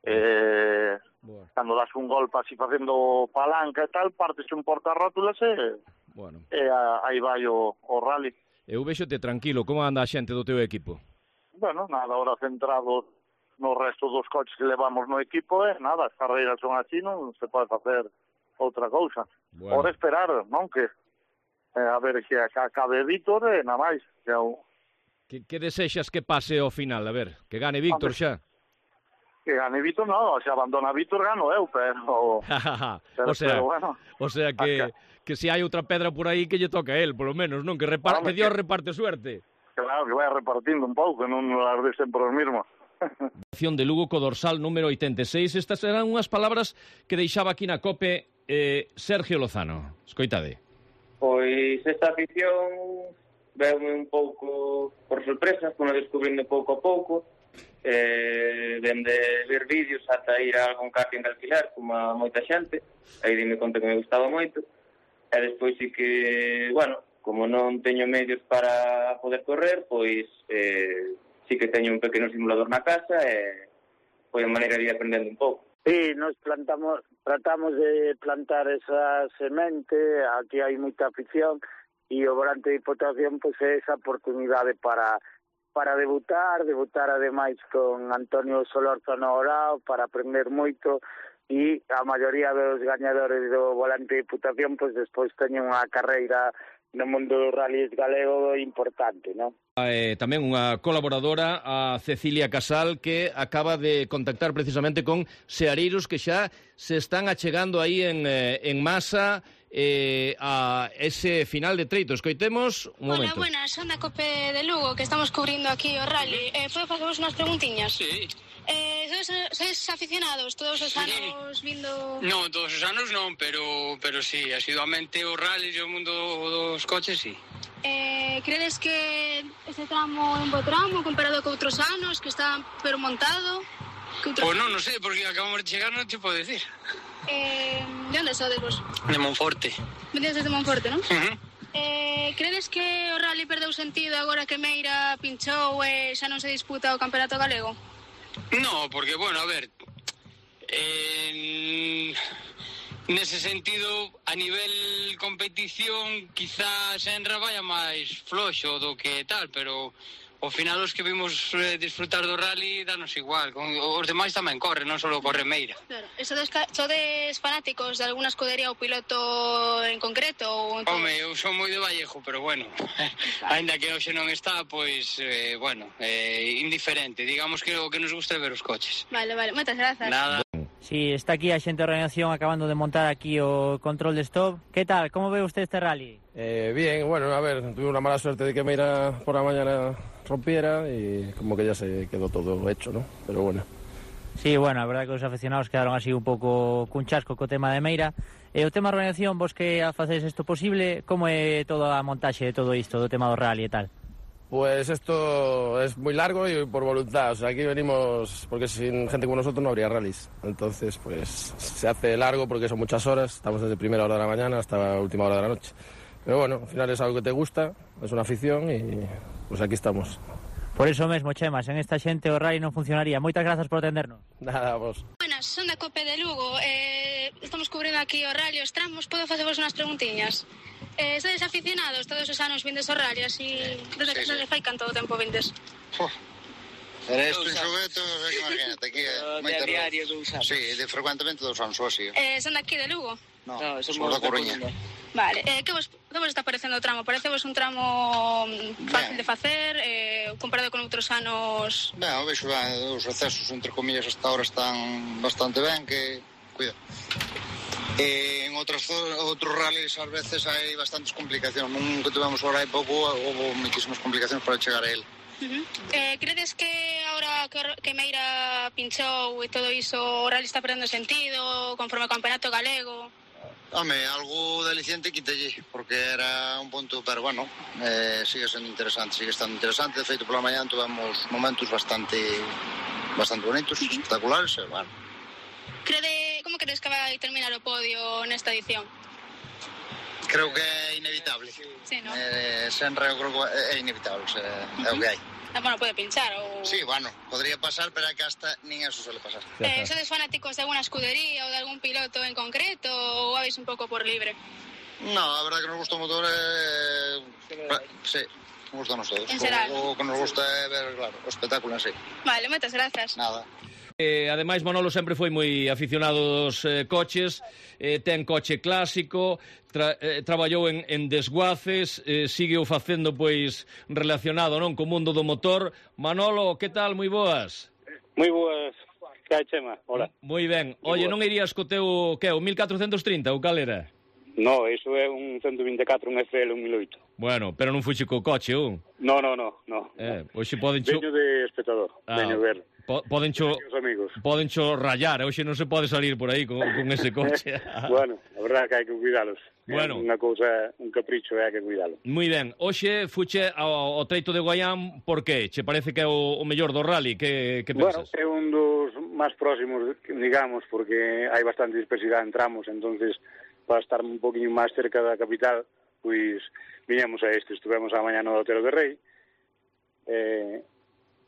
Cando das un golpe así facendo palanca e tal, partes un portarrótulas e aí vai o rally. Eu vexote tranquilo, como anda a xente do teu equipo? Bueno, nada, ahora centrado no resto dos coches que levamos no equipo, nada, as carreiras son así, non se pode facer outra cousa. Ora esperar, non, que a ver que acabe Víctor e nada máis. Que desexas que pase ao final? A ver, que gane Víctor xa? Que gane Víctor, non, se abandona Víctor gano eu, pero o sea que se hai outra pedra por aí que lle toca a él, polo menos, non? Que Dios reparte suerte. Claro, que vai repartindo un pouco, non las de sempre os mismos. Acción de Lugo co dorsal número 86. Estas eran unhas palabras que deixaba aquí na COPE Sergio Lozano. Escoitade. Pois esta afición veume un pouco por sorpresa, como descubrindo pouco a pouco, dende ver vídeos ata ir a algún karting de alquilar, como a moita xente, aí dime conta que me gustaba moito, e despois sí que, bueno, como non teño medios para poder correr, pois sí que teño un pequeno simulador na casa e foi a maneira de ir aprendendo un pouco. Sí, nos tratamos de plantar esa semente, aquí hai moita afición, e o Volante de Diputación pois é esa oportunidade para debutar ademais con Antonio Solórzano Orao, para aprender moito, e a maioría dos gañadores do Volante de Diputación pois despois teñen unha carreira no mundo dos rallies galego importante, non? Tamén unha colaboradora, a Cecilia Casal, que acaba de contactar precisamente con seareiros que xa se están achegando aí en masa a ese final de treito. Escoitemos un momento. Hola, buenas, son da COPE de Lugo, que estamos cubrindo aquí o rally. Podo facervos unhas preguntiñas? Sí. Sois aficionados todos os anos vindo... Non, todos os anos non, pero sí, asiduamente o rally e o mundo dos coches, sí. Credes que este tramo é un bo tramo comparado con outros anos, que está pero montado? Pois non sei, porque acabamos de chegar, non te podo decir. De onde sodes vos? De Monforte. Vendes desde Monforte, non? Credes que o rally perdeu sentido agora que Meira pinchou e xa non se disputa o campeonato galego? No, porque, bueno, a ver, nese sentido, a nivel competición, quizás Senra vaya máis floxo do que tal, pero ao final os que vimos disfrutar do rally danos igual, os demais tamén corren, non só corre Meira. Claro, sodes fanáticos de alguna escudería ou piloto en concreto? Home, eu son moi de Vallejo, pero bueno, ainda que hoxe non está, pois, indiferente, digamos que o que nos gusta é ver os coches. Vale, moitas grazas. Nada. Sí, está aquí a xente de organización acabando de montar aquí o control de stop. ¿Qué tal? ¿Cómo ve usted este rally? Bien, bueno, a ver, tuve una mala suerte de que Meira por la mañana rompiera y como que ya se quedó todo hecho, ¿no? Pero bueno. Sí, bueno, a verdade que os aficionados quedaron así un pouco cun chasco co tema de Meira. O tema da organización, vos que facedes isto posible, como é toda a montaxe de todo isto, do tema do rally e tal? Pues esto es muy largo y por voluntad, o sea, aquí venimos porque sin gente como nosotros no habría rallies, entonces pues se hace largo porque son muchas horas, estamos desde primera hora de la mañana hasta última hora de la noche, pero bueno, al final es algo que te gusta, es una afición y pues aquí estamos. Por eso mesmo, Chema, sen esta xente o rally non funcionaría. Moitas grazas por atendernos. Nada, vos. Buenas, son da COPE de Lugo, estamos cubrindo aquí o rally, os tramos, podo facervos unhas preguntiñas? Sodes aficionados todos os anos vindes ao rally, así desde fai canto tempo vindes? Era isto en xogueto, imagínate, aquí de diario 2 anos. Sí, de frecuentemente 2 anos, así. Son daqui de Lugo? No, somos da Coruña. Vale, que vos está parecendo o tramo? Parecevos un tramo fácil de facer, comparado con outros anos? Ben, vexo ben, os accesos, entre comillas, hasta ahora están bastante ben, que, cuida. En outros rallies ás veces hai bastantes complicacións, non que tivemos agora hai pouco, houve moitísimas complicacións para chegar a él. Credes que ahora que Meira pinchou e todo iso, o rally está perdendo sentido conforme ao campeonato galego? Home, algo de aliciente quitelle, porque era un punto, pero bueno, sigue sendo interesante, sigue estando interesante. De feito, pola mañá tivemos momentos bastante bonitos, espectaculares, e bueno. Como crees que vai terminar o podio nesta edición? Creo que é inevitable. Sí, ¿no? Senra eu creo que é inevitable, é o que hai. bueno, pode pinchar ou... Sí, bueno, podría pasar, pero é que hasta nin eso suele pasar. Sodes fanáticos de alguna escudería ou de algún piloto en concreto ou vais un pouco por libre? No, a verdade que nos gusta o motor sí, nos gusta a todos. En xeral. O que nos gusta é ver, claro, o espectáculo en sí. Vale, moitas grazas. Nada. Ademais, Manolo sempre foi moi aficionado aos coches, ten coche clásico, traballou en desguaces, sigue o facendo pois relacionado non co mundo do motor. Manolo, que tal? Moi boas. Moi boas. Que hai, Chema? Hola. Moi ben. Oye, non irías co teu, que é, o 1430 ou cal era? No, iso é un 124, un FL, un 1008. Bueno, pero non fuxe co coche, ou? No. Hoxe podencho... Veño de espectador, veño ver. Podencho rayar, hoxe non se pode salir por aí con ese coche. Bueno, a verdade que hai que cuidalos. Bueno. Unha cousa, un capricho, hai que cuidalo. Moi ben, hoxe fuche ao treito de Guaián, por que? Che parece que é o mellor do rally? Que pensas? Bueno, é un dos máis próximos, digamos, porque hai bastante dispersidade en tramos, entonces para estar un poquinho máis cerca da capital, pois viñamos a este, estuvemos a mañá no Hotel de Rei,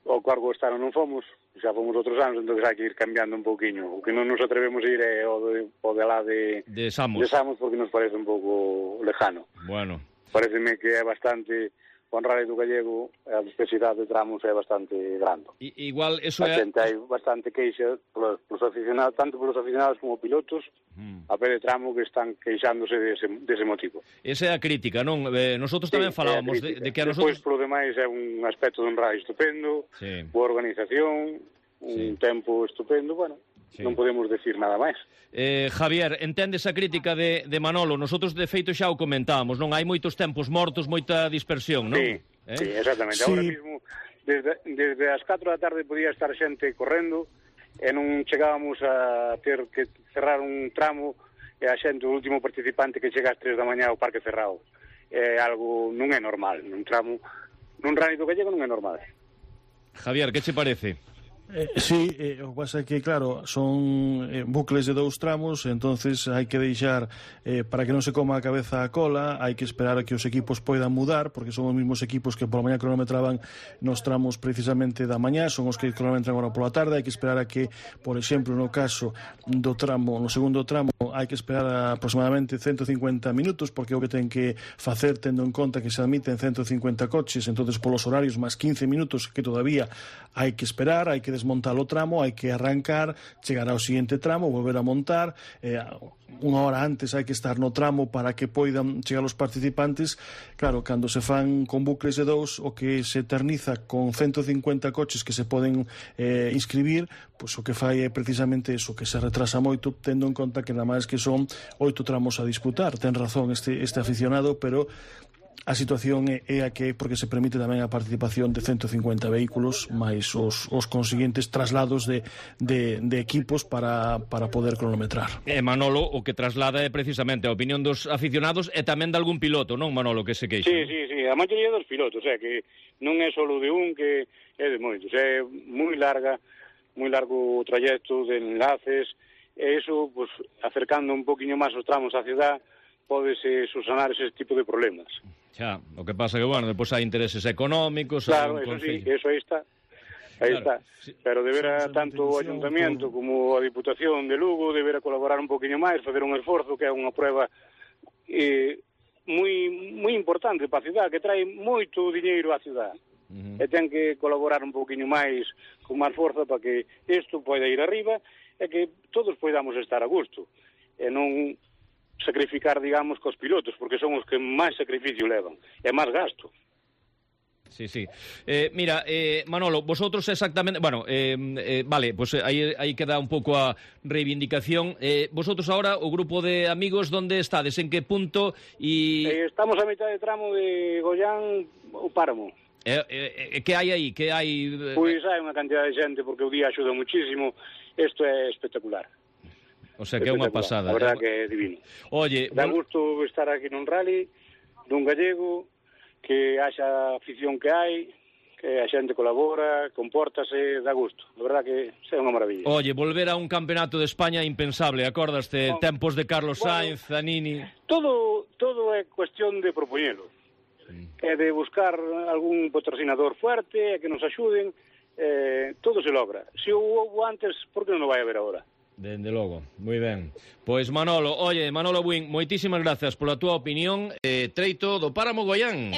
o cargo estar non fomos, xa fomos outros anos, entón hai que ir cambiando un pouquiño. O que non nos atrevemos a ir é o de lá de Samos, porque nos parece un pouco lejano. Bueno. Pareceme que é bastante... O rally do Gallego, a dispersidade de tramos é bastante grande. Igual, eso é... Hai bastante queixa polos aficionados, tanto polos aficionados como pilotos, a pé de tramo que están queixándose dese motivo. Esa é a crítica, non? Nosotros tamén falábamos de que a nosotros... Despois, polo demais, é un aspecto dun rally estupendo, boa organización, un tempo estupendo, bueno... Non podemos decir nada máis. Javier, entendes a crítica de Manolo? Nosotros, de feito, xa o comentábamos, non? Hai moitos tempos mortos, moita dispersión, non? Sí, exactamente. Ahora mismo, desde as 4 da tarde podía estar xente correndo e non chegábamos a ter que cerrar un tramo e a xente, o último participante que chega ás 3 da mañá ao parque cerrado. É algo, non é normal. Nun tramo, nun rally do Gallego non é normal. Javier, que che parece? Sí, o que pasa é que, claro, son bucles de 2 tramos, entonces hai que deixar para que non se coma a cabeza a cola, hai que esperar a que os equipos poidan mudar, porque son os mesmos equipos que pola mañá cronometraban nos tramos precisamente da mañá, son os que cronometran agora pola tarde, hai que esperar a que, por exemplo, no caso do tramo, no segundo tramo, hai que esperar aproximadamente 150 minutos, porque é o que ten que facer tendo en conta que se admiten 150 coches, entonces polos horarios máis 15 minutos que todavía hai que esperar, hai que desmontar o tramo, hai que arrancar, chegar ao seguinte tramo, volver a montar, unha hora antes hai que estar no tramo para que poidan chegar os participantes. Claro, cando se fan con bucles de 2, o que se eterniza con 150 coches que se poden inscribir, pois o que fai é precisamente eso, que se retrasa moito, tendo en conta que nada máis que son 8 tramos a disputar. Ten razón este aficionado, pero a situación é a que, porque se permite tamén a participación de 150 vehículos máis os consiguientes traslados de equipos para poder cronometrar. Manolo, o que traslada é precisamente a opinión dos aficionados e tamén de algún piloto, non, Manolo, que se queixa? Sí, a maioría dos pilotos, que non é só de un, que é de moitos, é moi largo o trayecto de enlaces, e iso, pues, acercando un poquinho máis os tramos á cidade, pódese subsanar ese tipo de problemas. Xa, o que pasa que, bueno, depois hai intereses económicos... Claro, eso sí, eso aí está. Aí está. Sí. Pero debera tanto o Ayuntamiento como a Diputación de Lugo debera colaborar un poquinho máis, facer un esforzo, que é unha prueba moi importante para a cidade, que trae moito diñeiro á cidade. E ten que colaborar un poquinho máis, con máis forza, para que isto poida ir arriba e que todos poidamos estar a gusto. E non sacrificar, digamos, cos pilotos, porque son os que máis sacrificio levan, e máis gasto. Sí. Mira, Manolo, vosotros exactamente... Bueno, vale, pues aí queda un pouco a reivindicación. Vosotros ahora, o grupo de amigos, donde estades? En que punto? Estamos a mitad de tramo de Goián, o Páramo. Que hai aí? Que hai... Pois hai unha cantidad de xente, porque o día axuda muchísimo. Isto é espectacular. O sea, que é unha pasada. A verdade que é divino. Oye, dá gusto estar aquí nun rally, dun gallego, que haxa afición que hai, que a xente colabora, compórtase, dá gusto. A verdade que é unha maravilla. Oye, volver a un campeonato de España impensable, acordaste? Tempos de Carlos Sainz, Zanini... Todo é cuestión de propoñelo. é de buscar algún patrocinador fuerte, que nos axuden, todo se logra. Se houve antes, por que non o vai haber agora? Dende logo, moi ben. Pois Manolo, Manolo Buin, moitísimas gracias pola túa opinión. Treito do Páramo Goián.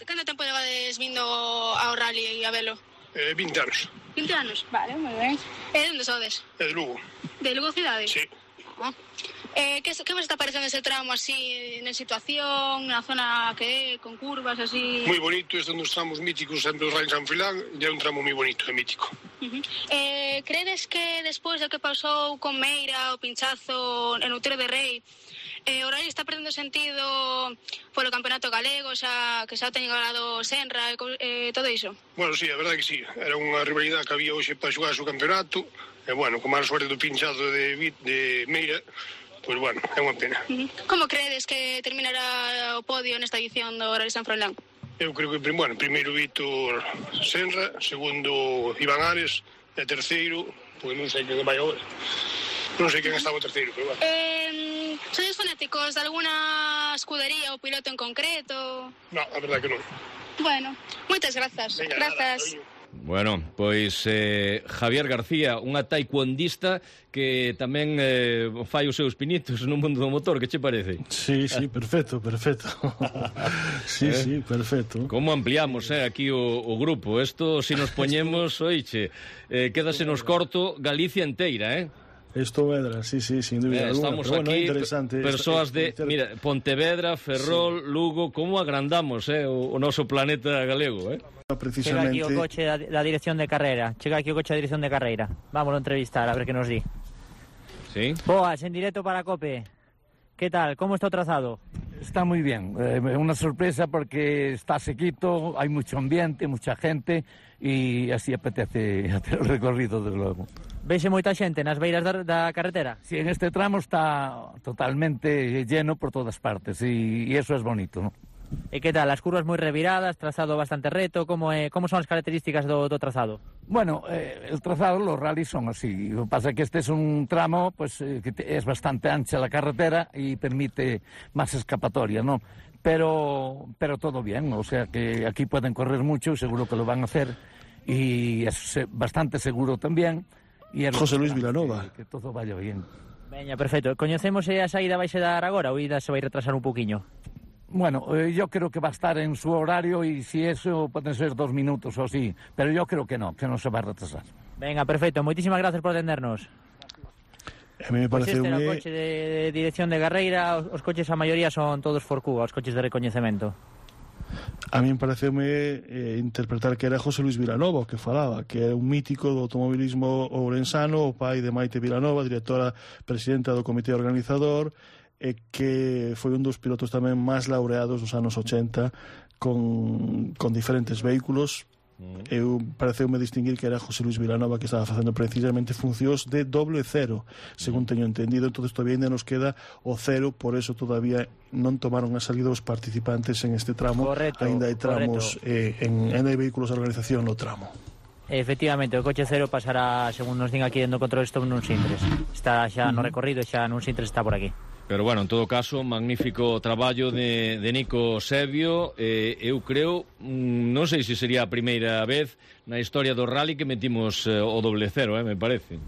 Canto tempo levades vindo ao rally e a velo? 20 anos. 20 anos, vale, moi ben. E onde sodes? De Lugo. De Lugo cidade? Sí. Que vos está parecendo ese tramo así, na situación, na zona que é, con curvas así? Moi bonito, este dos tramos míticos sempre os Rally San Filán, e é un tramo moi bonito e mítico. Credes que despois do que pasou con Meira, o pinchazo en Outeiro de Rei, o Rally está perdendo sentido polo campeonato galego, que xa ten ganado Senra e todo iso? Bueno, sí, a verdade que sí, era unha rivalidade que había hoxe para xogar o campeonato, e bueno, con máis suerte do pinchazo de Meira, pois bueno, é unha pena. Como credes que terminará o podio nesta edición do Rally San Froilán? Eu creo que, bueno, primeiro Víctor Senra, segundo Iván Ares, e terceiro, pois non sei quen vai agora. Non sei quen estaba o terceiro, pero bueno. Sois fanáticos de alguna escudería ou piloto en concreto? Non, a verdade que non. Bueno, moitas grazas. Venga, grazas. Nada, Bueno, pois Javier García, unha taekwondista que tamén fai os seus pinitos no mundo do motor, que che parece? Sí, perfecto. Sí, perfecto. Como ampliamos aquí o grupo? Isto, se nos poñemos, oiche, quédase nos corto Galicia inteira, Esto Vedra, sí, sin dúbida alguna. Estamos pero aquí, interesante. persoas de, mira, Pontevedra, Ferrol, Lugo, como agrandamos o noso planeta galego, Chega Precisamente. aquí o coche da dirección de carreira. Vámonos a entrevistar, a ver que nos di. Sí. Boas, en directo para COPE. ¿Qué tal? ¿Cómo está o trazado? Está muy bien, una sorpresa porque está sequito, hay mucho ambiente, mucha gente y así apetece hacer el recorrido, desde luego. Vese moita xente nas beiras da carretera? Sí, en este tramo está totalmente lleno por todas partes y eso es bonito, ¿no? E que tal, as curvas moi reviradas, trazado bastante reto, como son as características do trazado? Bueno, el trazado, los rallies son así. Lo que pasa es que este es un tramo pues que es bastante ancha la carretera y permite más escapatoria, ¿no? Pero todo bien, o sea que aquí pueden correr mucho, seguro que lo van a hacer y es bastante seguro también. Y José Luis Vilanova. Que todo vaya bien. Veña, perfecto. Coñecemos se a saída vai se dar agora ou ida se vai retrasar un poquinho? Bueno, yo creo que va a estar en su horario y si eso pueden ser 2 minutos o así, pero yo creo que no se va a retrasar. Venga, perfecto. Moitísimas gracias por atendernos. A mí me parece este era o coche de dirección de carreira, os coches a maioría son todos Forcuga, os coches de recoñecemento. A mí me pareceume interpretar que era José Luis Vilanova que falaba, que era un mítico do automobilismo ourensano, o pai de Maite Vilanova, directora presidenta do comité organizador, e que foi un dos pilotos tamén máis laureados nos anos 80 con diferentes vehículos. Eu pareceume distinguir que era José Luis Vilanova que estaba facendo precisamente funcións de doble cero, según teño entendido. Entonces todavía ainda nos queda o cero, por eso todavía non tomaron a salida os participantes en este tramo. Correcto, ainda hai tramos ainda hai vehículos de organización no tramo. Efectivamente, o coche cero pasará, según nos din aquí dentro do control stop, nun Sintres. Está xa no recorrido, xa nun Sintres está por aquí. Pero bueno, en todo caso, magnífico traballo de Nico Sebio. Eu creo, non sei se sería a primeira vez na historia do rally que metimos o doble cero, me parece.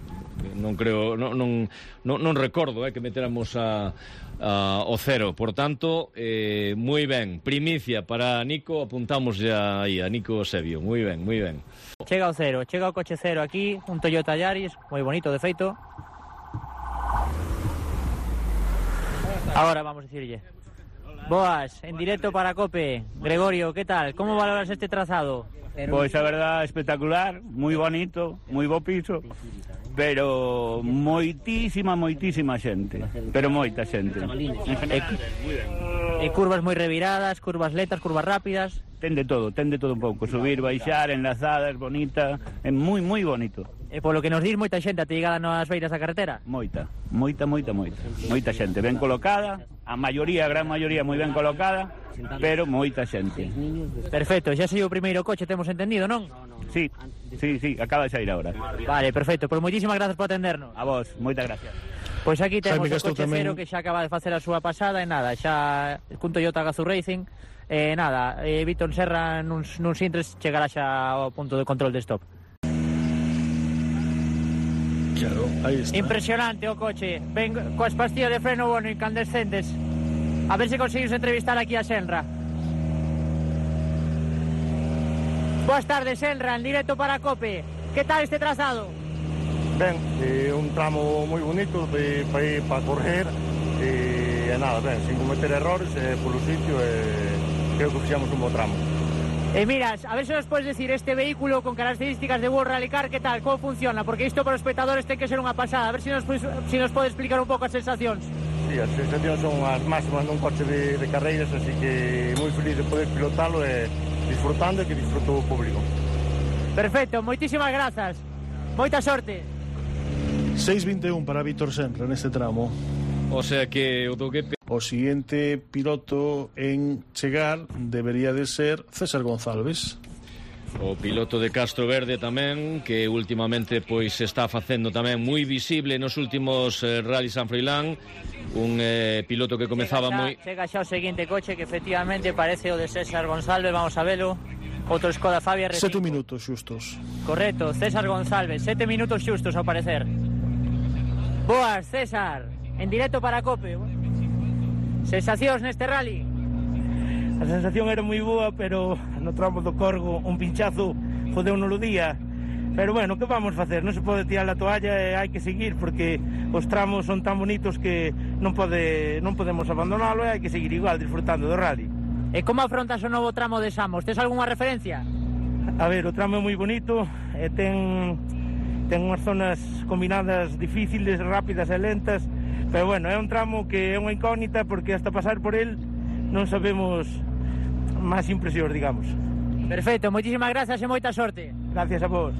Non creo, non recordo que meteramos o cero. Por tanto, moi ben, primicia para Nico, apuntamos ya aí a Nico Sebio. Moi ben. Chega o cero, chega o coche cero aquí, un Toyota Yaris, moi bonito de feito. Ahora vamos a decirle. Boas, en directo para COPE. Gregorio, ¿qué tal? ¿Cómo valoras este trazado? Pues la verdad espectacular, muy bonito, muy bo piso, pero moitísima xente, pero moita xente. Curvas moi reviradas, curvas lentas, curvas rápidas. Ten de todo un pouco, subir, baixar, enlazadas, bonita, é moi bonito. E polo que nos dis, moita xente atigada nas beiras da carretera? Moita xente, ben colocada, a gran maioría moi ben colocada, pero moita xente. Perfecto, xa sei o primeiro coche, temos entendido, non? Sí, acaba de sair agora. Vale, perfecto, pois moitísimas grazas por atendernos. A vos, moitas gracias. Pois aquí temos o coche cero que xa acaba de facer a súa pasada e nada, xa cun Toyota Gazoo Racing Nada, Víctor Serra nuns intres chegará xa ao punto de control de stop. Claro, aí está. Impresionante o coche, ven coas pastillas de freno bueno incandescentes. A ver se conseguimos entrevistar aquí a Senra. Boas tardes, Senra, en directo para COPE. Que tal este trazado? Ben, un tramo moi bonito para correr e nada, ben, sin cometer errores polo sitio creo que fixamos un bo tramo. Miras, a ver se nos podes decir este vehículo con características de World Rally Car, que tal, como funciona? Porque isto para os espectadores ten que ser unha pasada. A ver se nos pode explicar un pouco as sensacións. Sí, as sensacións son as máximas nun coche de carreiras, así que moi feliz de poder pilotalo e disfrutando e que disfruto o público. Perfecto, moitísimas grazas. Moita sorte. 6:21 para Víctor Senra neste tramo. O sea que o siguiente piloto en chegar debería de ser César González. O piloto de Castro Verde tamén, que últimamente pois se está facendo tamén moi visible nos últimos Rally San Froilán. Un piloto que comezaba moi... Chega xa o seguinte coche que efectivamente parece o de César González, vamos a velo. Outro Skoda Fabia R5. 7 minutos xustos. Correcto, César González, 7 minutos xustos ao parecer. Boas, César, en directo para COPE. Sensacións neste rally? A sensación era moi boa, pero no tramo do Corgo un pinchazo fodeu-nos o día. Pero bueno, que vamos facer? Non se pode tirar a toalla e hai que seguir, porque os tramos son tan bonitos que non podemos abandonalo e hai que seguir igual, disfrutando do rally. E como afrontas o novo tramo de Samos? Tes algunha referencia? A ver, o tramo é moi bonito e ten unhas zonas combinadas difíciles, rápidas e lentas, pero bueno, é un tramo que é unha incógnita porque hasta pasar por el non sabemos máis impresións, digamos. Perfecto, moitísimas grazas e moita sorte. Gracias a vos.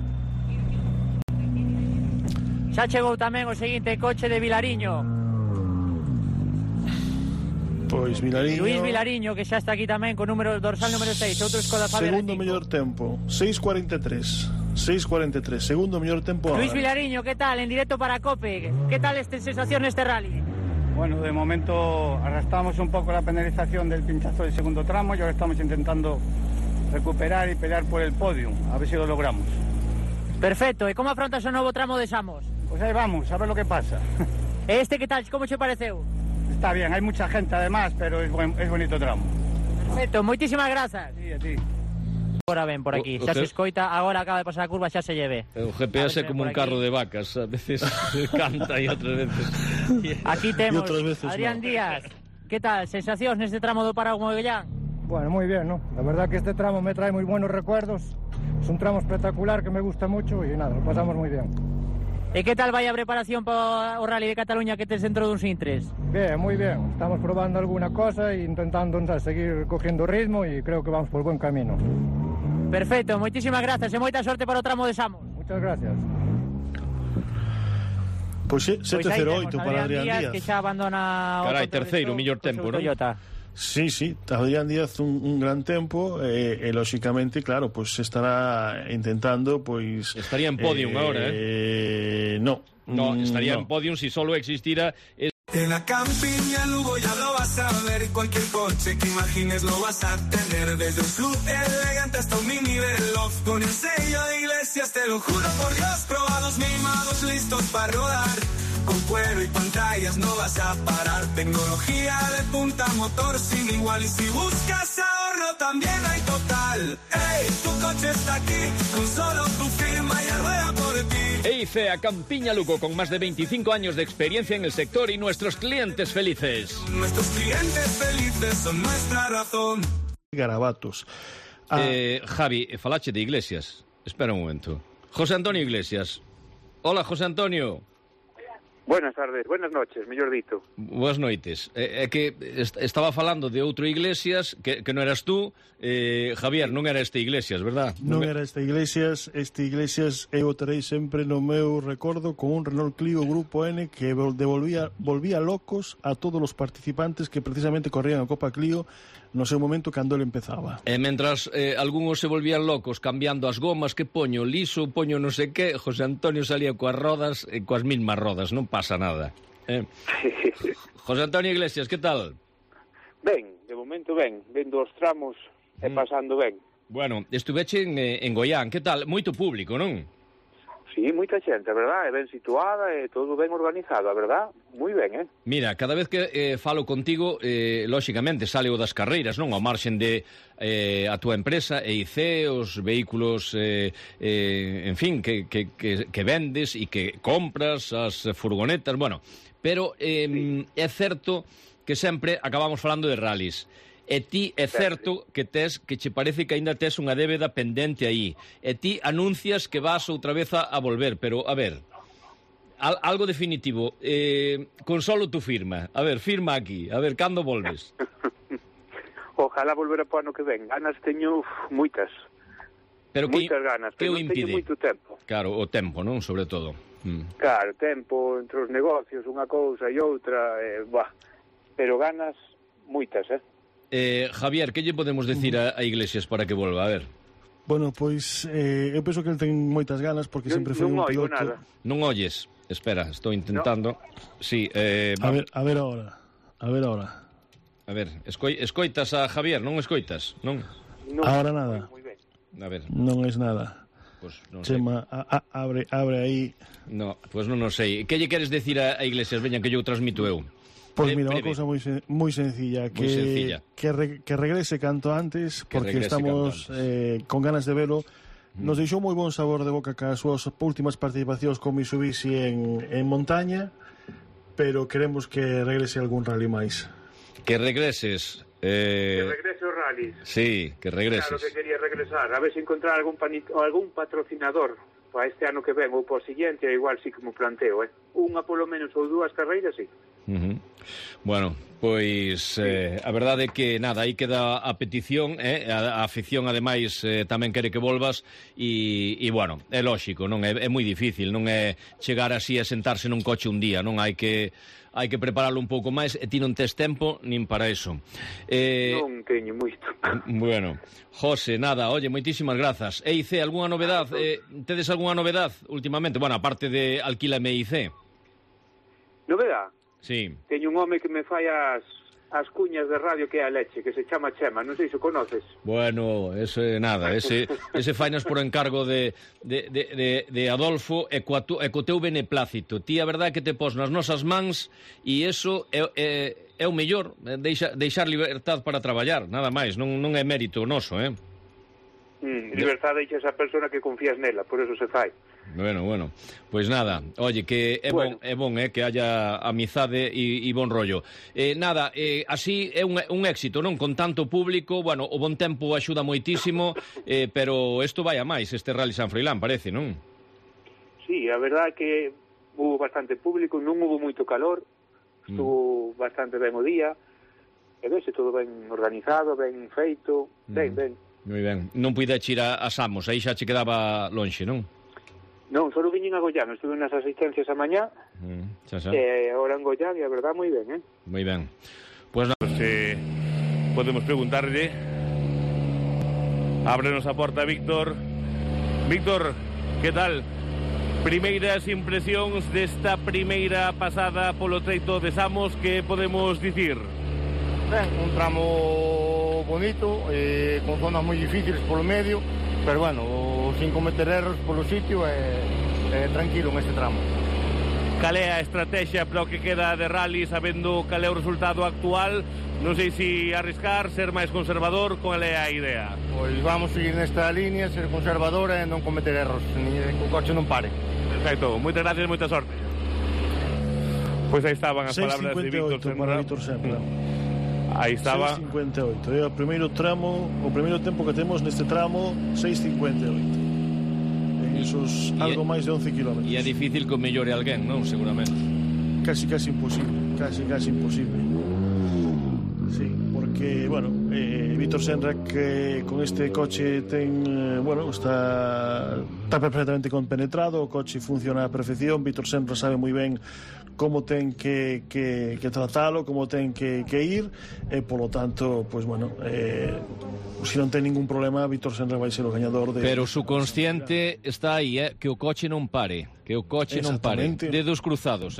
Xa chegou tamén o seguinte coche de Vilariño. Pois Vilariño... Luís Vilariño, que xa está aquí tamén con número dorsal número 6, outro Skoda Fabia R5. Segundo mellor tempo, 6:43, segundo mellor tempo. Luís Vilariño, que tal? En directo para COPE. Que tal esta sensación neste rally? Bueno, de momento arrastramos un poco la penalización del pinchazo del segundo tramo y ahora estamos intentando recuperar y pelear por el podium, a ver si lo logramos. Perfecto, e como afrontas o novo tramo de Samos? Pues ahí vamos, a ver lo que pasa. Este que tal, como che pareceu? Está bien, hay mucha gente además, pero es bonito tramo. Perfecto, moitísimas grazas. Sí, a ti. Agora ven por aquí, xa se escoita, agora acaba de pasar a curva, xa se lleve. O GPS é como un carro de vacas, a veces canta e outras veces... Aquí temos Adrián Díaz. Que tal, sensacións neste tramo do Parao Mogollán? Bueno, muy bien, ¿no? La verdad que este tramo me trae muy buenos recuerdos. Es un tramo espectacular que me gusta mucho y nada, lo pasamos muy bien. E que tal vai a preparación para o Rally de Cataluña que tes dentro duns intres? Bien, muy bien. Estamos probando alguna cosa e intentando seguir cogiendo ritmo y creo que vamos por buen camino. Perfecto, moitísimas grazas e moita sorte para o tramo de Samos. Muchas gracias. Pois 7:08 para Adrián Díaz. Que xa abandona... Carai, terceiro, mellor tempo, non? Sí, Adrián Díaz un gran tempo e lóxicamente, claro, pues estará intentando, pues... Estaría en podium ahora, No, estaría en podium si solo existiera... En la campiña Lugo ya lo vas a ver, cualquier coche que imagines lo vas a tener, desde un sub elegante hasta un mini Veloz, con el sello de Iglesias, te lo juro por Dios, probados, mimados, listos para rodar, con cuero y pantallas no vas a parar, tecnología de punta, motor sin igual, y si buscas ahorro también hay total. Ey, tu coche está aquí, con solo tu firma y rueda por ti. EICEA Campiña Lugo, con más de 25 años de experiencia en el sector y nuestros clientes felices. Nuestros clientes felices son nuestra razón. Garabatos. Javi, falache de Iglesias. Espera un momento. José Antonio Iglesias. Hola, José Antonio. Buenas tardes, buenas noches, mellor dito. Boas noites. É que estaba falando de outro Iglesias que non eras tú, Javier, non era este Iglesias, verdad? Non era este Iglesias eu o terei sempre no meu recordo con un Renault Clio Grupo N que volvía locos a todos os participantes que precisamente corrían a Copa Clio no seu momento cando ele empezaba. E mentras algúns se volvían locos cambiando as gomas, que poño liso, poño non sei que, José Antonio salía coas rodas e coas mismas rodas, non pasa nada. José Antonio Iglesias, que tal? Ben, de momento ben, vendo os tramos e pasando ben. Bueno, estuveche en Goián, que tal? Moito público, non? Sí, moita xente, a verdad, é ben situada e todo ben organizado, a verdad, moi ben, Mira, cada vez que falo contigo, lóxicamente, sale o das carreiras, non? Ao marxen de a túa empresa, EIC, os vehículos, en fin, que vendes e que compras, as furgonetas, bueno, pero é certo que sempre acabamos falando de rallies. E ti é certo que che parece que aínda tes unha débeda pendente aí. E ti anuncias que vas outra vez a volver, pero, a ver, algo definitivo. Consolo tu firma. A ver, firma aquí. A ver, cando volves? Ojalá volver para o ano que ven. Ganas teño moitas. Moitas ganas, pero non teño moito tempo. Claro, o tempo, non? Sobre todo. Claro, tempo entre os negocios, unha cousa e outra, pero ganas moitas, Javier, que lle podemos decir a Iglesias para que volva? A ver. Bueno, pois eu penso que ele ten moitas ganas porque sempre foi un piloto. Nada. Non oyes. Espera, estou intentando. No. Sí, a ver ahora. A ver, escoitas a Javier, non escoitas, non? Ahora nada. A ver. Non es nada. Pues non Chema, abre aí. No, pues non sei. Que lle queres decir a Iglesias? Veña, que yo transmito eu. Pois mira, unha cousa moi sencilla, que regrese canto antes, porque estamos con ganas de velo. Nos deixou moi bon sabor de boca cas súas últimas participacións con Mitsubishi en montaña, pero queremos que regrese algún rally máis. Que regreses. Que regrese o rally. Sí, que regreses. Claro que quería regresar, a ver se encontrar algún patrocinador para este ano que ven ou para o siguiente, igual sí que me planteo, Unha polo menos ou dúas carreiras, sí. Bueno, pois a verdade é que nada, aí queda a petición, a afición ademais tamén quere que volvas e bueno, é lóxico, non é moi difícil, non é chegar así a sentarse nun coche un día, non hai que prepararlo un pouco máis e ti non tes tempo nin para eso. Non teño moito. Bueno, José, nada, oye, moitísimas grazas. EIC, algunha novedad? Tedes algunha novedad últimamente? Bueno, aparte de Alquílame EIC. Novedad? Sí. Teño un home que me fai as cuñas de radio que é a leche, que se chama Chema, non sei se o conoces. Bueno, ese nada, ese fainas por encargo de Adolfo e co teu beneplácito. Ti a verdade que te pos nas nosas mans e eso é o mellor, deixar libertad para traballar, nada máis, non é mérito noso, Libertad deixa esa persona que confías nela, por eso se fai. Bueno, pois nada, oye, que é bon que haya amizade e bon rollo. Nada, así é un éxito, non? Con tanto público, bueno, o bon tempo axuda moitísimo, pero isto vai a máis, este Rally San Froilán, parece, non? Sí, a verdade é que hubo bastante público, non hubo moito calor, estuvo bastante ben o día, e vese todo ben organizado, ben feito, ben. Moi ben. Non puideche ir a Samos, aí xa che quedaba lonxe, non? Non, só viñen a Goián, estuve nas asistencias a mañá, e agora en Goián, e a verdad, moi ben, Moi ben. Pues nada, podemos preguntarle. Ábrenos a porta, Víctor. Víctor, que tal? Primeiras impresións desta primeira pasada polo treito de Samos, que podemos dicir? Ben, un tramo bonito, con zonas moi difíciles polo medio, pero bueno, sin cometer erros polo sitio e tranquilo neste tramo. Cal é a estrategia para o que queda de rally, sabendo cal é o resultado actual? Non sei se arriscar, ser máis conservador, cal é a idea? Pois vamos seguir nesta línea, ser conservador e non cometer erros, que o coche non pare. Perfecto, moitas gracias, moita sorte. Pois aí estaban as palabras de Víctor Senra. Aí estaba 6.58, é o primeiro tramo, o primeiro tempo que temos neste tramo, 6.58. En esos algo máis de 11 km. E é difícil que o mellore alguén, non? Seguramente. Casi imposible, casi imposible. Sí, porque, bueno, Víctor Senra que con este coche ten, está perfectamente compenetrado, o coche funciona a perfección, Víctor Senra sabe moi ben como ten que tratalo, como ten que ir, e polo tanto, pois bueno, se non ten ningún problema, Víctor Senra vai ser o gañador de... Pero o subconsciente está aí, que o coche non pare, dedos cruzados,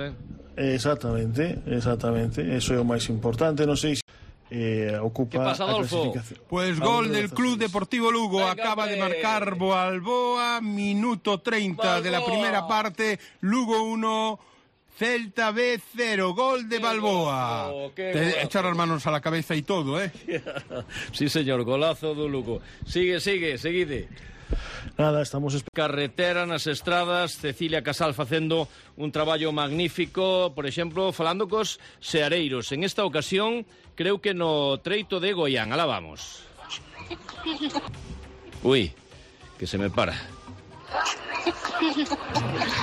Exactamente, eso é o máis importante, non sei se ocupa a clasificación. Pues gol del Club Deportivo Lugo. Acaba de marcar Balboa, minuto 30 de la primera parte. Lugo 1, Celta B 0, gol de Balboa. Te echar las manos a la cabeza y todo, ¿eh? Sí, señor, golazo do Lugo. Seguide. Nada, estamos... Carretera nas estradas, Cecilia Casal facendo un traballo magnífico, por exemplo, falando cos seareiros. En esta ocasión, creo que no treito de Goián. Alá vamos. Ui, que se me para.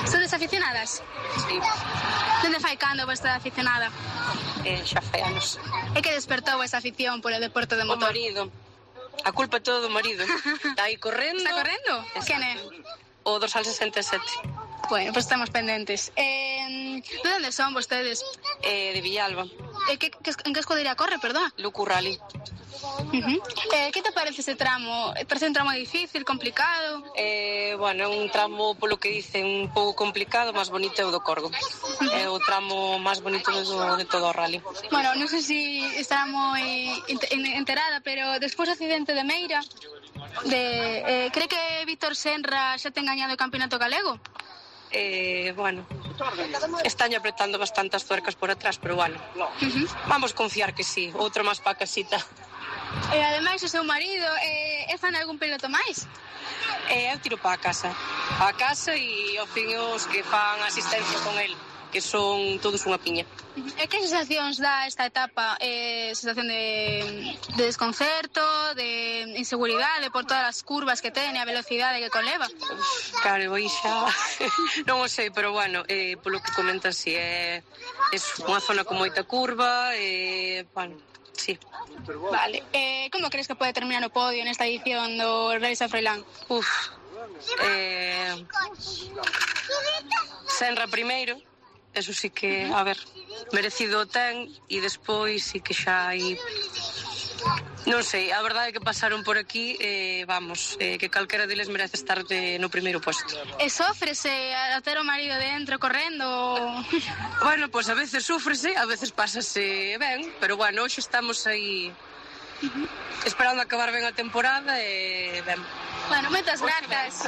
Sodes aficionadas? Sí. Dende fai cando vos estar aficionada? Xa fai anos. E que despertou esa afición polo deporte de motor? O marido. A culpa é todo do marido. Está aí correndo. Está correndo? Quen é? O dorsal 67. Bueno, pues estamos pendentes. De onde son vostedes? De Villalba. En que escudería corre, perdón? Lucu Rally. Que te parece ese tramo? Parece un tramo difícil, complicado? Bueno, é un tramo, polo que dicen, un pouco complicado, máis bonito é o do Corgo. É o tramo máis bonito de todo o rally. Bueno, non sei se estará moi enterada, pero despois do accidente de Meira, cree que Víctor Senra xa ten gañado o campeonato galego? Bueno, están apretando bastantes tuercas por atrás, pero bueno, vamos confiar que sí, outro máis pa casita. E ademais o seu marido é fan algún piloto máis? Eu tiro pa casa e ao fin os que fan asistencia con el, que son todos unha piña. E que sensacións dá esta etapa? Sensación de desconcerto, de inseguridade por todas as curvas que ten e a velocidade que conleva? Claro, aí xa non o sei, pero bueno, polo que comentas, si é unha zona con moita curva, bueno, sí. Vale, como crees que pode terminar o podio nesta edición do Rally San Froilán? Senra primeiro, eso sí que, a ver, merecido ten, e despois sí que xa hai... Non sei, a verdade é que pasaron por aquí, vamos, que calquera deles merece estar no primeiro posto. E sofrese a ter o marido dentro correndo? Bueno, pois a veces sufrese, a veces pásase ben, pero bueno, hoxe estamos aí esperando acabar ben a temporada e ben. Bueno, moitas grazas.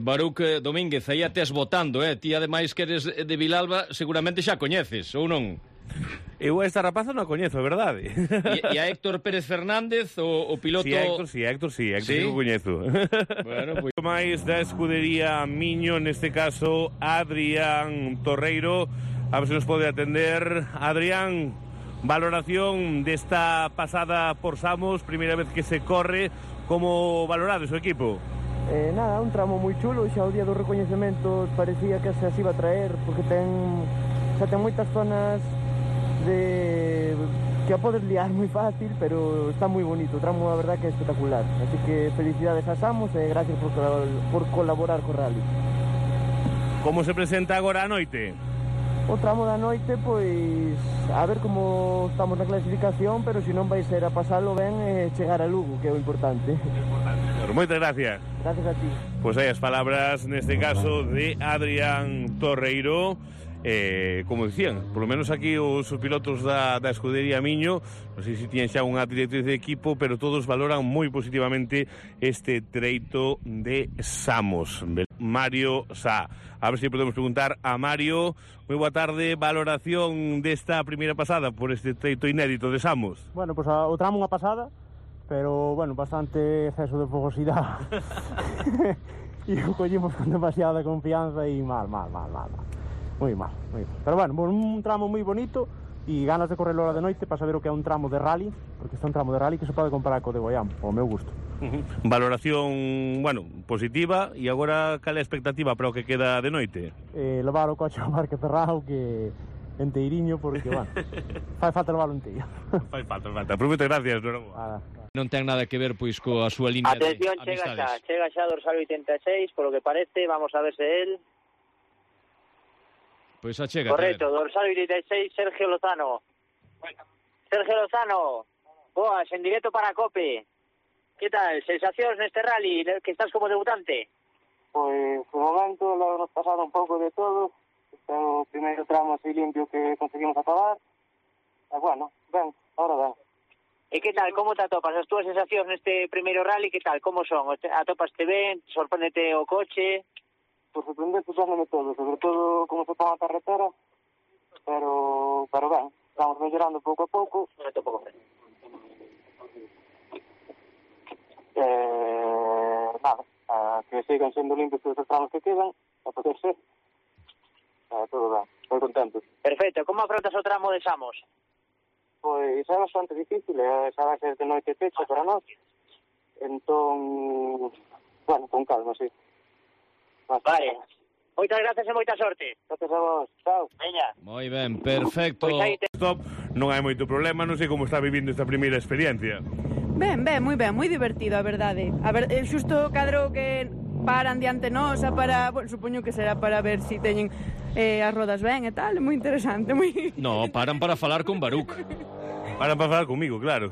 Baruc Domínguez, aí a tes votando, ti ademais que eres de Vilalba, seguramente xa coñeces, ou non? Eu esta rapaza non a coñezo, verdade? E a Héctor Pérez Fernández, o piloto... Sí, Héctor sí o coñezo. Bueno, pois máis da escudería Miño, neste caso Adrián Torreiro, a ver se nos pode atender. Adrián, valoración desta pasada por Samos, primeira vez que se corre, como valorades o equipo? Nada, un tramo moi chulo, xa o día dos recoñecementos parecía que se iba a traer, porque xa ten moitas zonas que a podes liar moi fácil, pero está moi bonito, o tramo a verdad que é espectacular, así que felicidades a Samos e gracias por colaborar co rally. Como se presenta agora a noite? O tramo da noite, pois, a ver como estamos na clasificación, pero se non vai ser a pasalo ben e chegar a Lugo, que é o importante. Moitas gracias. Gracias a ti. Pois hai as palabras, neste caso, de Adrián Torreiro. Como dicían, polo menos aquí os pilotos da escudería Miño, non sei se tiñen xa unha directriz de equipo, pero todos valoran moi positivamente este treito de Samos. Mario Sá. A ver se podemos preguntar a Mario. Moi boa tarde, valoración desta primeira pasada por este treito inédito de Samos. Bueno, pois o tramo unha pasada, pero, bueno, bastante exceso de fogosidade. E o collimos con demasiada confianza e mal. Moi mal. Pero, bueno, un tramo moi bonito e ganas de correr hora de noite para saber o que é un tramo de rally, porque está un tramo de rally que se pode comparar co de Goián, ao meu gusto. Valoración, bueno, positiva, e agora cal é a expectativa para o que queda de noite? Levar o coche ao parque cerrado, que enteiriño, porque, bueno, fai falta levarlo enteiro. Fai falta. Prometo, gracias, Non ten nada que ver, pois, coa súa línea de amistades. Chega xa dorsal 86, por lo que parece, vamos a ver se él... Pois achega. Correcto, dorsal 86, Sergio Lozano. Sergio Lozano, boas, en directo para COPE. Que tal, sensacións neste rally, que estás como debutante? Pois, de momento, lo hemos pasado un pouco de todo. Este é o primeiro tramo así limpio que conseguimos acabar. bueno, ben, ahora ben. E que tal, como te atopas? As túas sensacións neste primeiro rally, que tal, como son? Atopaste ben? Sorpréndete o coche? Por sorprender, sorpréndeme todo, sobre todo como se pon a carretera, pero ben, vamos mellorando pouco a pouco. Nada, que sigan sendo limpios todos os tramos que quedan, a poder ser. Todo ben, moi contento. Perfecto, como afrontas o tramo de Samos? Pois é bastante difícil, xa vai ser de noite pecha para nós. Entón, bueno, con calma, sí. Vale. Moitas gracias e moita sorte. Gracias a vos. Chao. Veña. Moi ben, perfecto. Stop, non hai moito problema, non sei como está vivindo esta primeira experiencia. Ben, moi divertido, a verdade. A ver, xusto cadro que paran diante nosa para, bueno, supoño que será para ver si teñen as rodas ben e tal, é moi interesante, moi... No, paran para falar con Baruch. Paran para falar comigo, claro.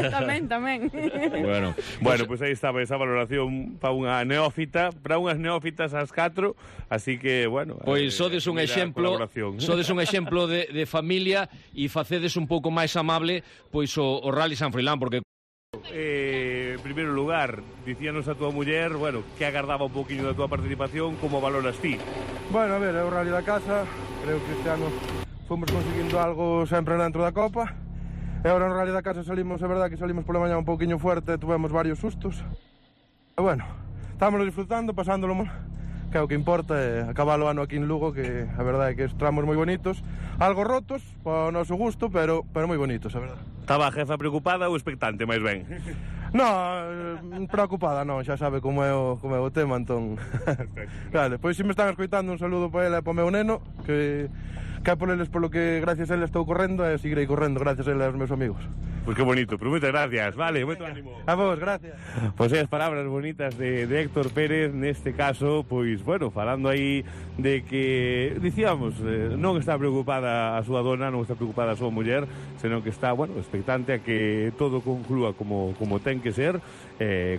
tamén. Bueno, pues aí estaba esa valoración para unha neófita, para unhas neófitas ás 4, así que, bueno... Pois sodes un exemplo de familia e facedes un pouco máis amable pois o Rally San Froilán, porque... En primeiro lugar, dicíanos a túa muller, bueno, que agardaba un poquinho da túa participación, como valoras ti? Bueno, a ver, é o Rally da casa, creo que este ano fomos conseguindo algo sempre dentro da Copa, e agora no Rally da casa salimos, é verdad que salimos pola mañá un poquinho fuerte, tuvemos varios sustos, e bueno, estámoslo disfrutando, pasándolo, que é o que importa, é acabar o ano aquí en Lugo, que a verdade é que tramos moi bonitos, algo rotos, ao noso gusto, pero moi bonitos, a verdade. Estaba a jefa preocupada ou expectante, máis ben? Non, preocupada non, xa sabe como é o tema, entón... Vale, pois se me están escoitando, un saludo para ela e para o meu neno, que é por eles polo que gracias a ela estou correndo e seguirei correndo gracias a ela e aos meus amigos. Pois que bonito, pero moitas gracias, vale, moito ánimo. A vos, gracias. Pois as palabras bonitas de Héctor Pérez, neste caso, pois, bueno, falando aí de que, dicíamos, non está preocupada a súa dona, non está preocupada a súa muller, senón que está, bueno, expectante a que todo conclúa como ten que ser,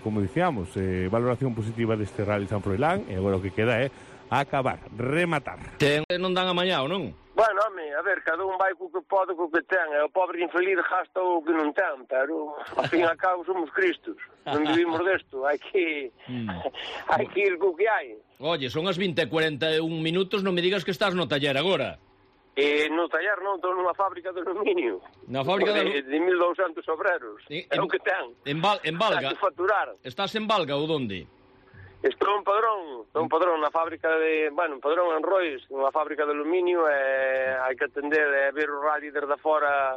como dicíamos, valoración positiva deste Rally San Froilán, e agora o que queda é acabar, rematar. Non dan amañá, ou non? Bueno, home, a ver, cada un vai co que pode, co que ten, e o pobre infeliz gasta o que non ten, pero, ao fin e ao cabo, somos cristos, non vivimos desto, hai que ir co que hai. Oye, son as 20:41 minutos, non me digas que estás no taller agora. No taller non, estou nunha fábrica de aluminio. Na fábrica de 1.200 obreros, é o que ten. En Valga? Hai que facturar. Estás en Valga ou donde? Estou en Padrón na fábrica de, bueno, en Padrón, en Rois, nunha fábrica de aluminio, e hai que atender e ver o rally desde fora,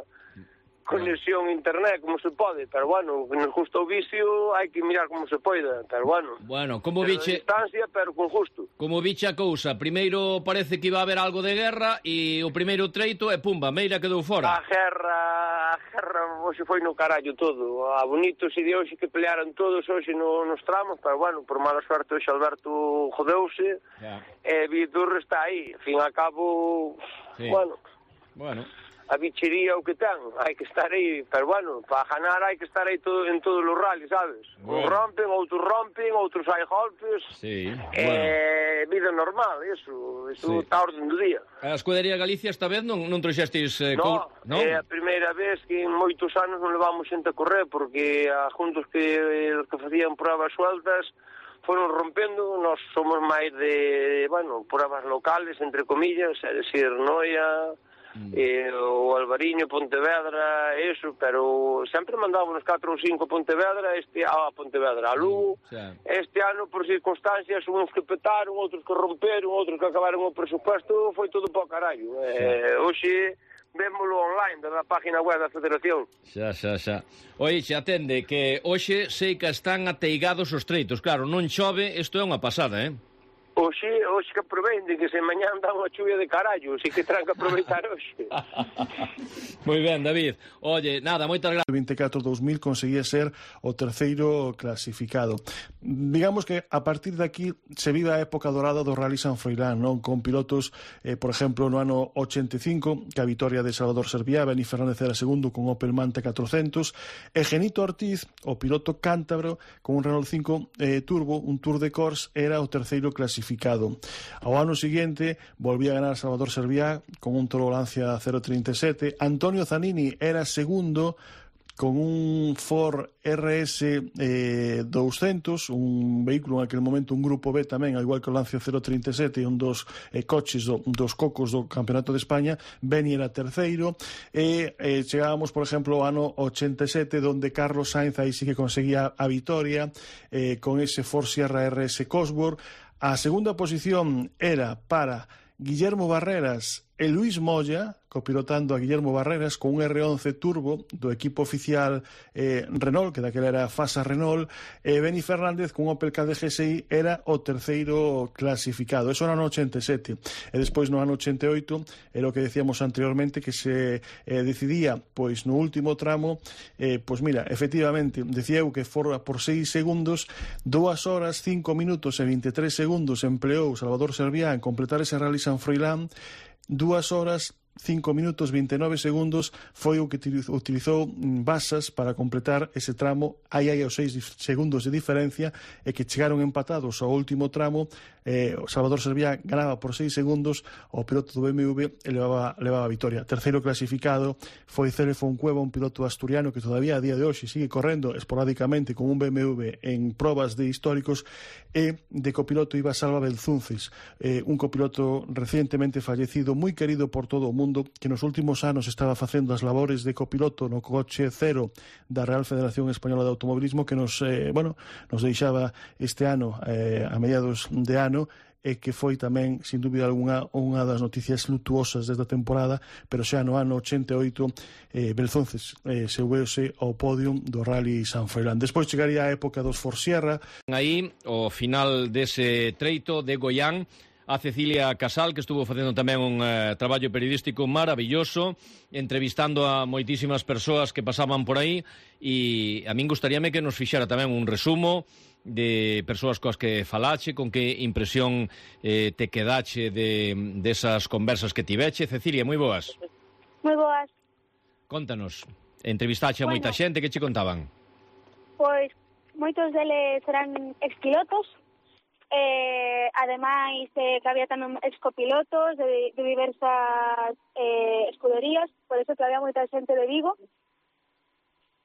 conexión internet, como se pode, pero bueno, nos gusta o vicio, hai que mirar como se poida, pero bueno. Bueno, como viche... distancia, pero con gusto. Como viche a cousa, primeiro parece que iba a haber algo de guerra, e o primeiro treito, e pumba, Meira quedou fora. A guerra, hoxe foi no carallo todo, a bonitos e de hoxe que pelearon todos hoxe nos tramos, pero bueno, por mala suerte hoxe Alberto jodeuse, e Vitor está aí, ao fin e a cabo, bueno... A bichería o que ten, hai que estar aí, pero bueno, para ganar hai que estar aí en todos os rallies, sabes? Uns rompen, outros hai golpes, vida normal, eso está orden do día. A Escudería Galicia esta vez non trouxestes... Non, é a primeira vez que en moitos anos non levamos xente a correr, porque a juntos que facían pruebas sueltas foron rompendo, nós somos máis de, bueno, pruebas locales, entre comillas, é dicir, Noia... o Albariño, Pontevedra, eso, pero sempre mandábamos 4 ou 5 Pontevedra, a Lugo, este ano por circunstancias, uns que petaron, outros que romperon, outros que acabaron o presupuesto, foi todo para o carallo. Hoxe vémolo online, da página web da Federación. Xa. Oi, xe atende, que hoxe sei que están ateigados os treitos, claro, non chove, isto é unha pasada, Oxe que aproveiten, que se mañá dá unha chuvia de carallo, así que terán que aproveitar hoxe. Moi ben, David. Oye, nada, moitas gracias. 24-2000 conseguía ser o terceiro clasificado. Digamos que a partir de aquí se vive a época dorada do Rally San Froilán, non? Con pilotos, por exemplo, no ano 85, que a vitoria de Salvador Serviá, Beni Fernández era segundo con Opel Manta 400, e Genito Ortiz, o piloto cántabro, con un Renault 5 Turbo, un Tour de Corse, era o terceiro clasificado. clasificado. Ao ano seguinte volvía a ganar Salvador Serviá con un Toro Lancia 0.37. Antonio Zanini era segundo con un Ford RS 200, un vehículo en aquel momento, un grupo B tamén, ao igual que o Lancia 037, un dos coches dos cocos do Campeonato de España. Beni era terceiro, e chegábamos, por exemplo, ao ano 87, donde Carlos Sainz aí sí que conseguía a vitoria con ese Ford Sierra RS Cosworth. A segunda posición era para Guillermo Barreras e Luis Moya, copilotando a Guillermo Barreras con un R11 Turbo do equipo oficial Renault, que daquela era Fasa Renault. Beni Fernández con un Opel Kadett GSI era o terceiro clasificado. Eso no ano 87. E despois no ano 88 era o que decíamos anteriormente, que se decidía pois no último tramo. Pois mira, efectivamente, decía eu que fora por 6 segundos, 2 horas, 5 minutos e 23 segundos empleou Salvador Serviá en completar ese Rally San Froilán. 2 horas, 5 minutos 29 segundos foi o que utilizou Basas para completar ese tramo. Aí hai os 6 segundos de diferencia, e que chegaron empatados ao último tramo. Salvador Serviá ganaba por 6 segundos, o piloto do BMW levaba a vitoria. Terceiro clasificado foi Cele Foncueva, un piloto asturiano que todavía a día de hoxe sigue correndo esporádicamente con un BMW en probas de históricos, e de copiloto iba Salva Belzuncis, un copiloto recientemente fallecido, moi querido por todo o mundo, que nos últimos anos estaba facendo as labores de copiloto no coche cero da Real Federación Española de Automobilismo, que nos deixaba este ano, a mediados de ano, e que foi tamén, sin dúbida alguna, unha das noticias lutuosas desta temporada. Pero xa no ano 88 Belzunces subeuse ao podium do Rally San Froilán. Despois chegaría a época dos Ford Sierra. Aí, ao final dese treito de Goián, a Cecilia Casal, que estuvo facendo tamén un traballo periodístico maravilloso, entrevistando a moitísimas persoas que pasaban por aí, e a min gustaríame que nos fixera tamén un resumo de persoas coas que falache, con que impresión te quedache desas conversas que tiveche. Cecilia, moi boas. Moi boas. Contanos, entrevistache a moita xente, que che contaban? Pois moitos deles eran expilotos, ademais que había tamén excopilotos de diversas escuderías, por eso que había moita xente de Vigo,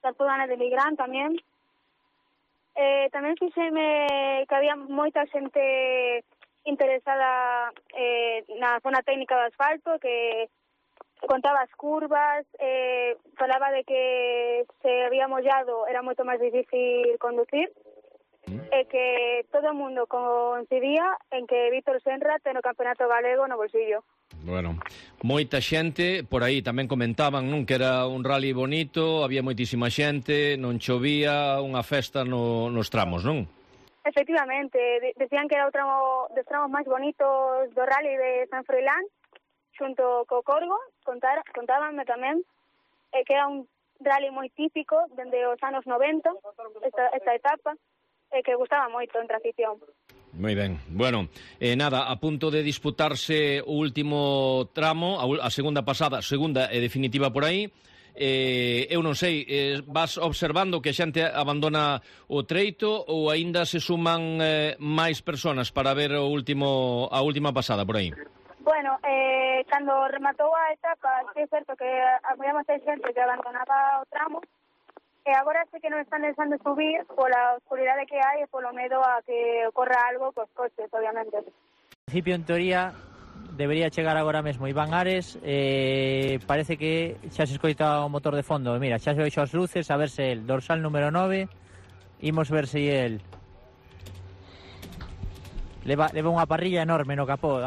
da zona de Migrán tamén. Tamén fixeme que había moita xente interesada na zona técnica do asfalto, que contaba as curvas, falaba de que se había mollado era moito máis difícil conducir, e que todo o mundo coincidía en que Víctor Senra ten o campeonato galego no bolsillo. Bueno, moita xente, por aí tamén comentaban, non, que era un rally bonito, había moitísima xente, non chovía, unha festa nos tramos, non? Efectivamente, decían que era dos tramos máis bonitos do rally de San Froilán, xunto co Corgo. Contábanme tamén que era un rally moi típico dende os anos 90, esta etapa, que gustaba moito entre a afición. Moi ben. Bueno, nada, a punto de disputarse o último tramo, a segunda pasada, segunda e definitiva por aí. Eu non sei, vas observando que a xente abandona o treito, ou aínda se suman máis persoas para ver a última pasada por aí? Bueno, cando rematou a etapa, é certo que había moita xente que abandonaba o tramo, e agora sí que non están deixando subir pola oscuridade que hai e polo medo a que ocorra algo cos coches, obviamente. En principio, en teoría, debería chegar agora mesmo Iván Ares. Parece que xa se escoita o motor de fondo. Mira, xa se veixo as luces, a verse el dorsal número 9. Imos ver se el leva unha parrilla enorme no capó,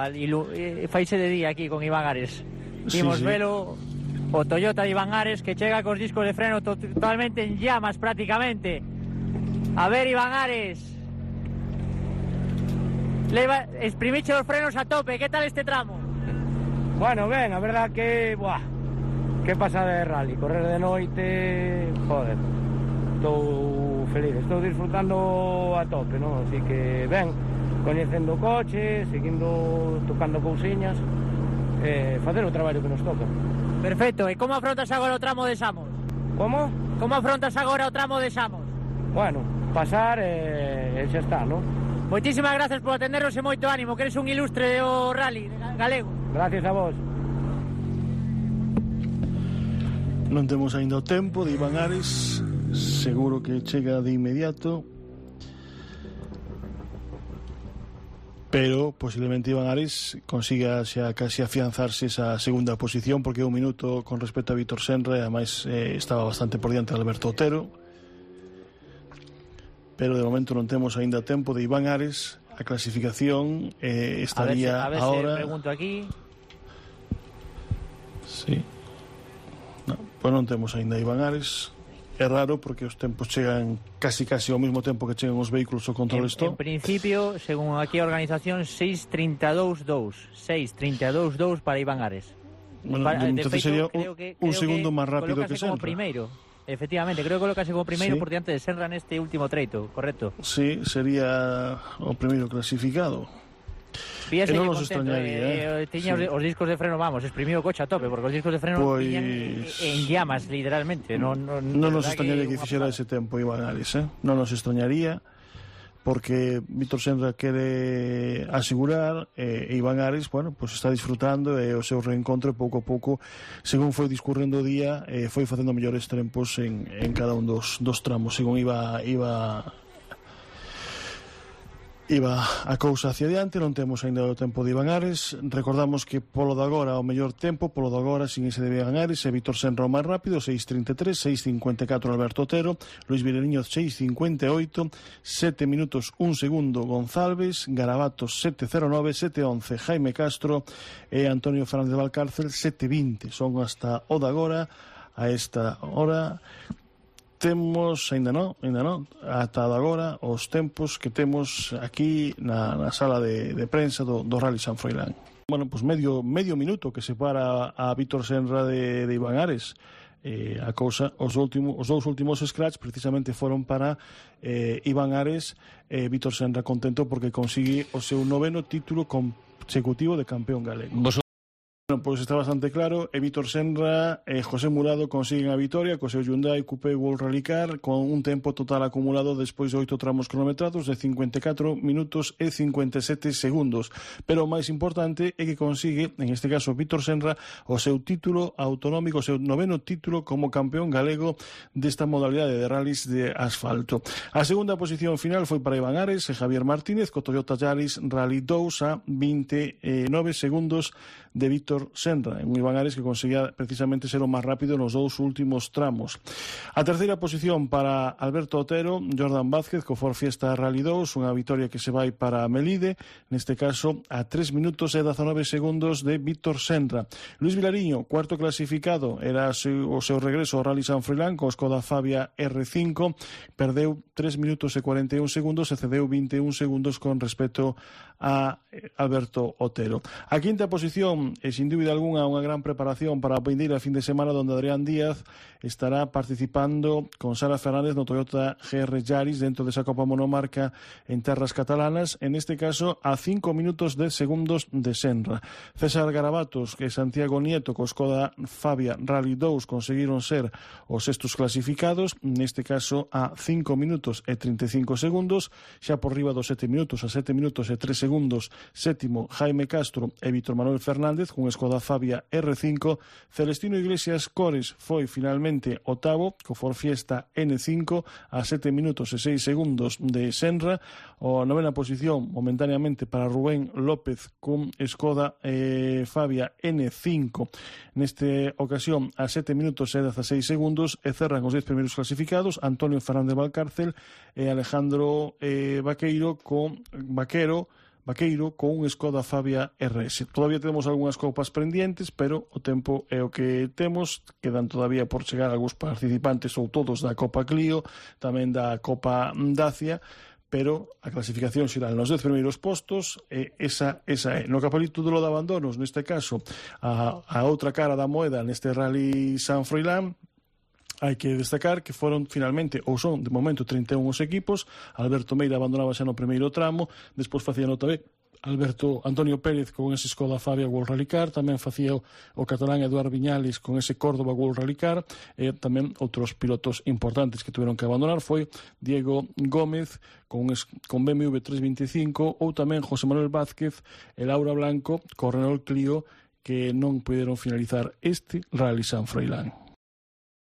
faise de día aquí con Iván Ares. Imos velo. O Toyota de Iván Ares, que chega cos discos de freno totalmente en llamas prácticamente. A ver, Iván Ares, exprimiche os frenos a tope. ¿Qué tal este tramo? Bueno, ben, a verdad que que pasa de rally, correr de noite, joder, estou feliz, estou disfrutando a tope, ¿no? Así que ben, coñecendo o coche, seguindo tocando cousiñas, facer o traballo que nos toca. Perfecto, e como afrontas agora o tramo de Samos? Como? Como afrontas agora o tramo de Samos? Bueno, pasar e xa está, non? Moitísimas gracias por atendernos e moito ánimo, que eres un ilustre do rally galego. Gracias a vos. Non temos aínda o tempo de Iván Ares, seguro que chega de inmediato, pero posiblemente Iván Ares consiga xa casi afianzarse esa segunda posición, porque un minuto con respecto a Vítor Senra, e ademais estaba bastante por diante de Alberto Otero, pero de momento non temos aínda tempo de Iván Ares. A clasificación estaría a ver ahora... se pregunto aquí. Sí. No, pois non temos aínda Iván Ares. É raro porque os tempos chegan casi ao mesmo tempo que chegan os vehículos ao control stop. En principio, según aquí a organización, 6:32.2. 6:32.2 para Iván Ares. Bueno, entonces sería un segundo máis rápido que Senra. Como primeiro. Efectivamente, creo que colocase como primeiro por diante de Senra neste último treito, correcto? Sí, sería o primeiro clasificado. Fíjese non que nos extrañaría, tiña os discos de freno, vamos, exprimiu o coche a tope, porque os discos de freno tiñan en llamas, literalmente. Non nos extrañaría que fixera ese tempo Iván Ares, non nos extrañaría, porque Vítor Senra quere asegurar e Iván Ares, bueno, pues está disfrutando e o seu reencontro pouco a pouco, según foi discurrendo o día, foi facendo mellores tempos en cada un dos tramos, según iba a cousa hacia diante. Non temos aínda o tempo de Iván Ares. Recordamos que polo de agora o mellor tempo, polo de agora sin ese de Iván Ares, e Vítor Senra o máis rápido, 6:33, 6:54 Alberto Otero, Luis Vilariño 6:58, 7 minutos 1 segundo González, Garabatos 7:09, 7:11 Jaime Castro e Antonio Fernández Valcárcel 7:20. Son hasta o de agora, a esta hora. Temos, aínda non, ata agora os tempos que temos aquí na sala de prensa do Rally San Froilán. Bueno, pues medio minuto que separa a Vítor Senra de Iván Ares. A cousa, os dous últimos scratch precisamente foron para Iván Ares. Vítor Senra contento porque consigue o seu 9º título consecutivo de campeón galego. Bueno, pois está bastante claro, e Vítor Senra e José Murado consiguen a vitoria co seu Hyundai Coupé World Rally Car con un tempo total acumulado despois de 8 tramos cronometrados de 54 minutos e 57 segundos. Pero o máis importante é que consigue, en este caso Vítor Senra, o seu título autonómico, o seu 9º título como campeón galego desta modalidade de rallies de asfalto. A segunda posición final foi para Iván Ares e Javier Martínez co Toyota Yaris Rally 2 a 29 segundos de Vítor Senra, un Iván Ares que conseguía precisamente ser o máis rápido nos dous últimos tramos. A terceira posición para Alberto Otero, Jordan Vázquez co Ford Fiesta Rally 2, unha vitoria que se vai para Melide, neste caso a 3 minutos e 19 segundos de Vítor Senra. Luis Vilariño, cuarto clasificado, era o seu regreso ao Rally San Froilán co Skoda Fabia R5, perdeu 3 minutos e 41 segundos e cedeu 21 segundos con respecto a Alberto Otero. A quinta posición é sin dúbida algunha unha gran preparación para a vindeira fin de semana, donde Adrián Díaz estará participando con Sara Fernández no Toyota GR Yaris dentro desa Copa Monomarca en terras catalanas, en este caso a 5 minutos 10 segundos de Senra. César Garabatos e Santiago Nieto co Skoda Fabia Rally 2 conseguiron ser os sextos clasificados, neste caso a 5 minutos e 35 segundos, xa por riba dos 7 minutos, a 7 minutos e 3 segundos, sétimo Jaime Castro e Vítor Manuel Fernández con Skoda Fabia R5. Celestino Iglesias Cores foi finalmente octavo co Ford Fiesta N5 a 7 minutos e 6 segundos de Senra. A novena posición momentáneamente para Rubén López con Skoda Fabia N5, nesta ocasión a 7 minutos e 16 segundos, e cerran os 10 primeiros clasificados Antonio Fernández Valcárcel e Alejandro Vaqueiro con un Skoda Fabia RS. Todavía temos algunhas copas pendientes, pero o tempo é o que temos. Quedan todavía por chegar algúns participantes, ou todos, da Copa Clio, tamén da Copa Dacia, pero a clasificación xeral nos 10 primeiros postos, esa é. No capítulo de abandonos, neste caso, a outra cara da moeda neste Rally San Froilán, hai que destacar que foron finalmente, ou son de momento 31 os equipos. Alberto Meira abandonaba xa no primeiro tramo, despois facía nota Alberto Antonio Pérez con ese Skoda Fabia World Rally Car, tamén facía o catalán Eduard Viñales con ese Córdoba World Rally Car, e tamén outros pilotos importantes que tuveron que abandonar foi Diego Gómez con BMW 325 ou tamén José Manuel Vázquez e Laura Blanco con Renault Clio, que non puderon finalizar este Rally San Froilán.